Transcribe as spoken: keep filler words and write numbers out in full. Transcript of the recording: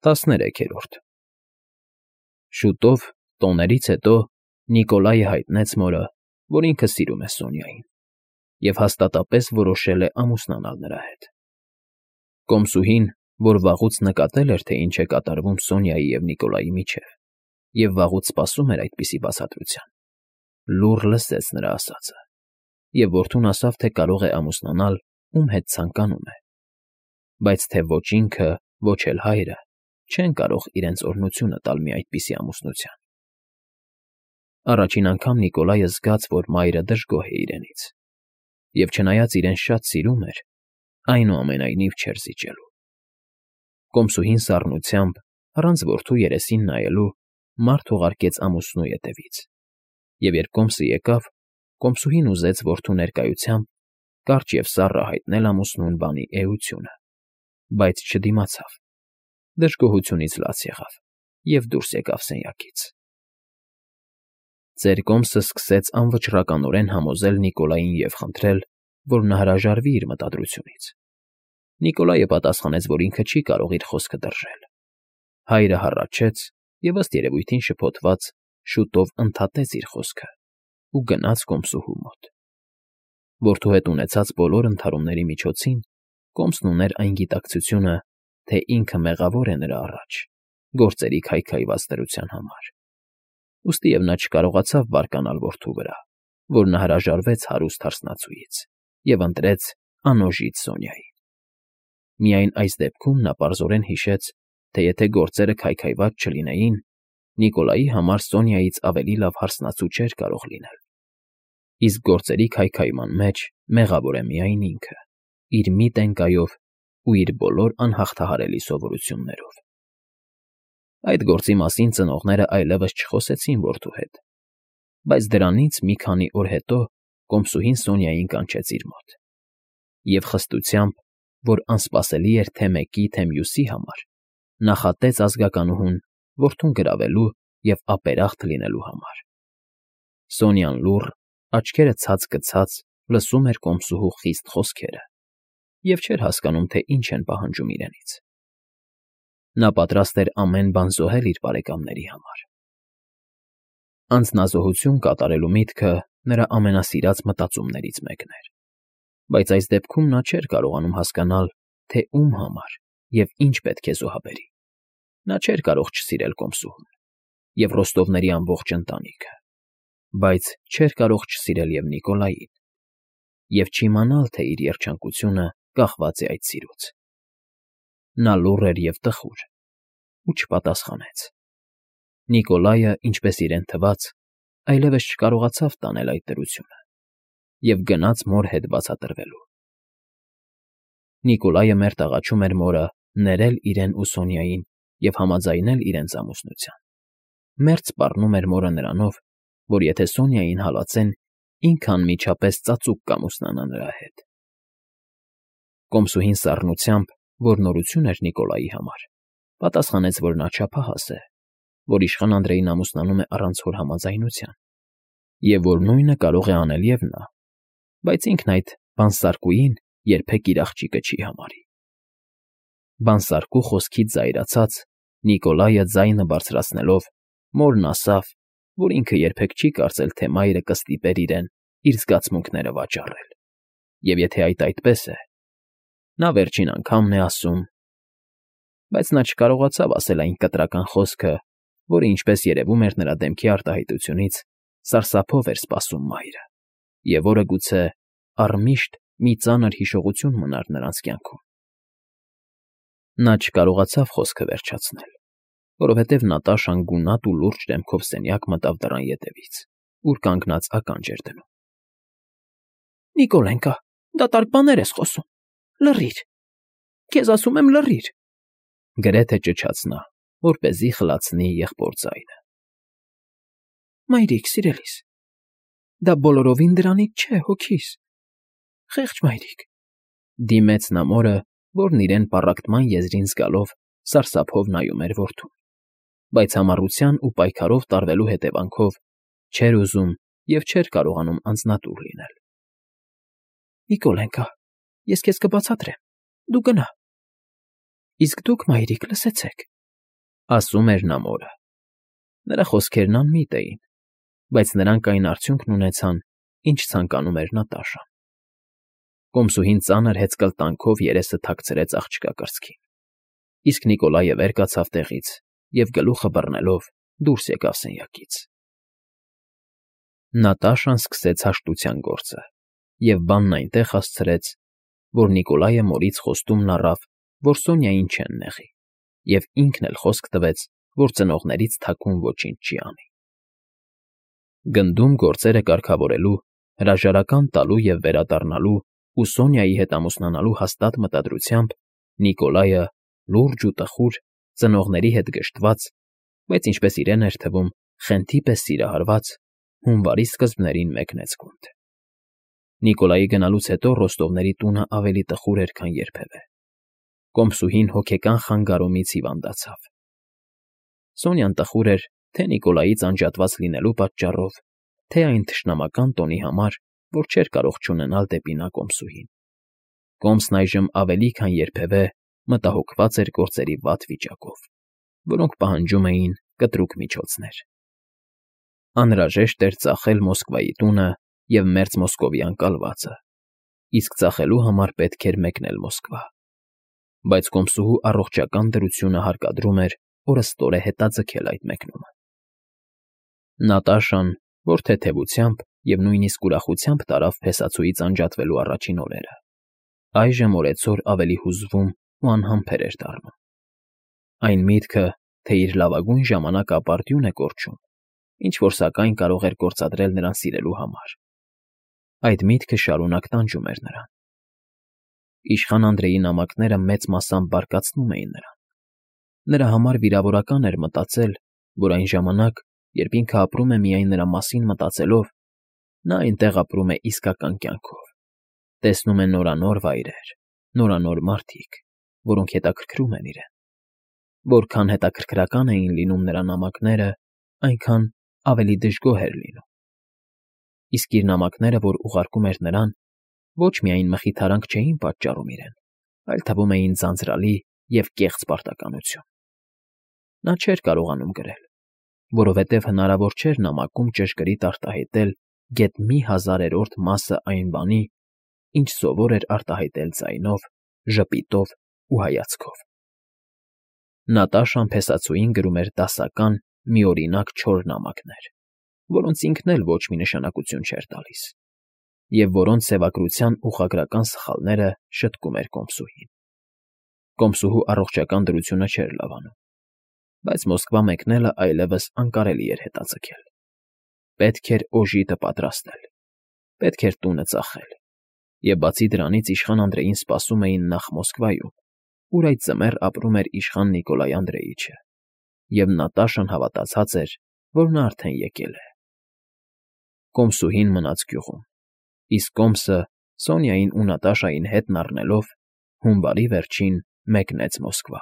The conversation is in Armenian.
տասներեքերորդ Շուտով, տոներից հետո, Նիկոլայը հայտնեց մորը, որ ինքը սիրում է Սոնյային և հաստատապես որոշել է ամուսնանալ նրա հետ։ Կոմսուհին, որ վաղուց նկատել էր, թե ինչ է կատարվում Սոնյայի և Նիկոլայի միջև, և վաղուց սպասում էր այդպիսի բացատրության, լուռ լսեց նրա ասածը, և որդուն ասավ, թե կարող է ամուսնանալ, ում հետ ցանկանում է, բայց թե ոչ ինքը, ոչ էլ հայրը չեն կարող իրենց օրհնությունը տալ մի այդպիսի ամուսնության։ Առաջին անգամ Նիկոլայը զգաց, որ մայրը դժգոհ է իրենից, և չնայած իրեն շատ սիրում էր, այնուամենայնիվ չէր զիջելու։ Կոմսուհին սառնությամբ, առանց որդու երեսին նայելու, մարդ ուղարկեց ամուսնու ետևից, և երբ կոմսը եկավ, կոմսուհին ուզեց որդու ներկայությամբ կարճ և սառը հայտնել ամուսնուն բանի էությունը, բայց չդիմացավ, դժգոհությունից լաց եղավ և դուրս եկավ սենյակից։ Ծեր կոմսը սկսեց անվճռականորեն համոզել Նիկոլային և խնդրել, որ նա հրաժարվի իր մտադրությունից։ Նիկոլայը պատասխանեց, որ ինքը չի կարող իր խոսքը դրժել։ Հայրը հառաչեց և, ըստ երևույթին շփոթված, շուտով ընդհատեց իր խոսքը ու գնաց կոմսուհու մոտ։ Որդու հետ ունեցած բոլոր ընդհարումների միջոցին կոմսն ուներ այն գիտակցությունը, թե ինքը մեղավոր է նրա առաջ գործերի քայքայված դրության համար, ուստիև նա չկարողացավ բարկանալ որդու վրա, որ նա հրաժարվեց հարուստ հարսնացուից և ընտրեց անօժիտ Սոնյային։ Միայն այս դեպքում նա պարզորեն հիշեց, թե եթե գործերը քայքայված չլինեին, Նիկոլայի համար Սոնյայից ավելի լավ հարսնացու չէր կարող լինել, իսկ գործերի քայքայման մեջ մեղավոր է միայն ինքը, իր մի տենկայով ու իր բոլոր անհաղթահարելի սովորություններով։ Այդ գործի մասին ծնողներն այլևս չխոսեցին որդու հետ, բայց դրանից մի քանի օր հետո կոմսուհին Սոնյային կանչեց իր մոտ և խստությամբ, որ անսպասելի էր թե մեկի, թե մյուսի համար, նախատեց ազգականուհուն որդուն գրավելու և ապերախտ լինելու համար։ Սոնյան լուռ, աչքերը ցած֊կցած լսում էր կոմսուհու խիստ խոսքերը և չէր հասկանում, թե ինչ են պահանջում իրենից։ Նա պատրաստ էր ամեն բան զոհել իր բարեկամների համար։ Անձնազոհություն կատարելու միտքը նրա ամենասիրած մտածումներից մեկն էր, բայց այս դեպքում նա չէր կարողանում հասկանալ, թե ում համար և ինչ պետք է զոհաբերի։ Նա չէր կարող չսիրել կոմսուհուն և Ռոստովների ամբողջ ընտանիքը, բայց չէր կարող չսիրել և Նիկոլային և չիմանալ, թե իր երջանկությունը կախված է այդ սիրուց։ Նա լուռ էր և տխուր ու չպատասխանեց։ Նիկոլայը, ինչպես իրեն թվաց, այլևս չկարողացավ տանել այդ դրությունը և գնաց մոր հետ բացատրվելու։ Նիկոլայը մերթ աղաչում էր մորը ներել իրեն ու Սոնյային և համաձայնել իրենց ամուսնության։ Մերթ սպառնում էր մորը նրանով, որ եթե Սոնյային հալածեն, ինքը անմիջապես ծածուկ կամուսնանա նրա հետ։ Կոմսուհին սառնությամբ, որ նորություն էր Նիկոլայի համար, պատասխանեց, որ նա չափահաս է, որ իշխան Անդրեին ամուսնանում է առանց հոր համաձայնության, և որ նույնը կարող է անել և նա, բայց ինքն այդ բանսարկուին երբեք իր աղջիկը չի համարի։ Բանսարկու խոսքից զայրացած, Նիկոլայը ձայնը բարձրացնելով, մորն ասավ, որ ինքը երբեք չի կարծել, թե մայրը կստիպեր իրեն իր զգացմունքները վաճառել, և եթե այդ այդպես է, նա վերջին անգամն է ասում… Բայց նա չկարողացավ ասել այն կտրական խոսքը, որը, ինչպես երևում էր նրա դեմքի արտահայտությունից, սարսափով էր սպասում մայրը, և որը, գուցե, առմիշտ մի ծանր հիշողություն մնար նրանց կյանքում։ Նա չկարողացավ խոսքը վերջացնել, որովհետև Նատաշան գունատ ու լուրջ դեմքով սենյակ մտավ դռան ետևից, ուր կանգնած ականջ էր դնում։ ֊ Նիկոլենկա, դատարկ բաներ ես խոսում… Լռիր… Քեզ ասում եմ, լռիր…֊ գրեթե ճչաց նա, որպեսզի խլացնի եղբոր ձայնը։ ֊ Մայրիկ սիրելիս, դա բոլորովին դրանից չէ, հոգիս… Խեղճ մայրիկ…֊ դիմեց նա մորը, որն իրեն պառակտման եզրին զգալով սարսափով նայում էր որդուն, բայց համառության ու պայքարով տարվելու հետևանքով չէր ուզում և չէր կարողանում անձնատուր լինել։ ֊ Նիկոլենկա, ես քեզ կբացատրեմ, դու գնա… Իսկ դուք, մայրիկ, լսեցեք… Ասում էր նա մորը։ Նրա խոսքերն անմիտ էին, բայց նրանք այն արդյունքն ունեցան, ինչ ցանկանում էր Նատաշան։ Կոմսուհին ծանր հեծկլտանքով երեսը թաքցրեց աղջկա կրծքին, իսկ Նիկոլայը վեր կացավ տեղից և գլուխը բռնելով դուրս եկավ սենյակից։ Նատաշան սկսեց հաշտության գործը և բանն այնտեղ հասցրեց, որ Նիկոլայը մորից խոստումն առավ, որ Սոնյային չեն նեղի, և ինքն էլ խոսք տվեց, որ ծնողներից թաքուն ոչինչ չի անի։ Գնդում գործերը կարգավորելու, հրաժարական տալու և վերադառնալու ու Սոնյայի հետ ամուսնանալու հաստատ մտադրությամբ Նիկոլայը, լուրջ ու տխուր, ծնողների հետ գժտված, բայց, ինչպես իրեն էր թվում, խենթի պես սիրահարված, հունվարի սկզբներին մեկնեց գունդ։ Նիկոլայի գնալուց հետո Ռոստովների տունը ավելի տխուր էր, քան երբևէ։ Կոմսուհին հոգեկան խանգարումից հիվանդացավ։ Սոնյան տխուր էր թե Նիկոլայից անջատված լինելու պատճառով, թե այն թշնամական տոնի համար, որ չէր կարող չունենալ դեպի նա կոմսուհին։ Կոմսն այժմ ավելի քան երբևէ մտահոգված էր գործերի վատ վիճակով, որոնք պահանջում էին կտրուկ միջոցներ։ Անհրաժեշտ էր ծախել Մոսկվայի տունը և մերձ Մոսկովյան կալվածը, իսկ ծախելու համար պետք էր մեկնել Մոսկվա։ Բայց կոմսուհու առողջական դրությունը հարկադրում էր օրըստօրե հետաձգել այդ մեկնումը։ Նատաշան, որ թեթևությամբ և նույնիսկ ուրախությամբ տարավ փեսացուից անջատվելու առաջին օրերը, այժմ օրեցօր ավելի հուզվում ու անհամբեր էր դառնում։ Այն միտքը, թե իր լավագույն ժամանակը ապարդյուն է կորչում, ինչ֊որ սակայն կարող էր գործադրել նրան սիրելու համար, այդ միտքը շարունակ տանջում էր նրան։ Իշխան Անդրեի նամակները մեծ մասամբ բարկացնում էին նրան։ Նրա համար վիրավորական էր մտածել, որ այն ժամանակ, երբ ինքը ապրում է միայն նրա մասին մտածելով, նա այնտեղ ապրում է իսկական կյանքով, տեսնում է նորանոր վայրեր, նորանոր մարդիկ, որոնք հետաքրքրում են իրեն։ Որքան հետաքրքրական էին լինում նրա նամակները, այնքան ավելի դժգոհ էր լինում։ Իսկ իր նամակները, որ ուղարկում էր նրան, ոչ միայն մխիթարանք չէին պատճառում իրեն, այլ թվում էին ձանձրալի և կեղծ պարտականություն։ Նա չէր կարողանում գրել, որովհետև հնարավոր չէր նամակում ճշգրիտ արտահայտել գեթ մի հազարերորդ մասը այն բանի, ինչ սովոր էր արտահայտել ձայնով, ժպիտով ու հայացքով։ Նատաշան փեսացուին գրում էր դասական, միօրինակ չոր նամակներ, որոնց ինքն էլ ոչ մի նշանակություն չէր տալիս, և որոնց սևագրության ուղղագրական սխալները շտկում էր կոմսուհին։ Կոմսուհու առողջական դրությունը չէր լավանում, բայց Մոսկվա մեկնելը այլևս անկարելի էր հետաձգել։ Պետք էր օժիտը պատրաստել, պետք էր տունը ծախել, և բացի դրանից իշխան Անդրեին սպասում էին նախ Մոսկվայում, ուր այդ ձմեռ ապրում էր իշխան Նիկոլայ Անդրեիչը, և Նատաշան հավատացած էր, որ նա արդեն եկել է։ Կոմսուհին մնաց գյուղում, իսկ կոմսը, Սոնյային ու Նատաշային հետն առնելով, հունվարի վերջին մեկնեց Մոսկվա։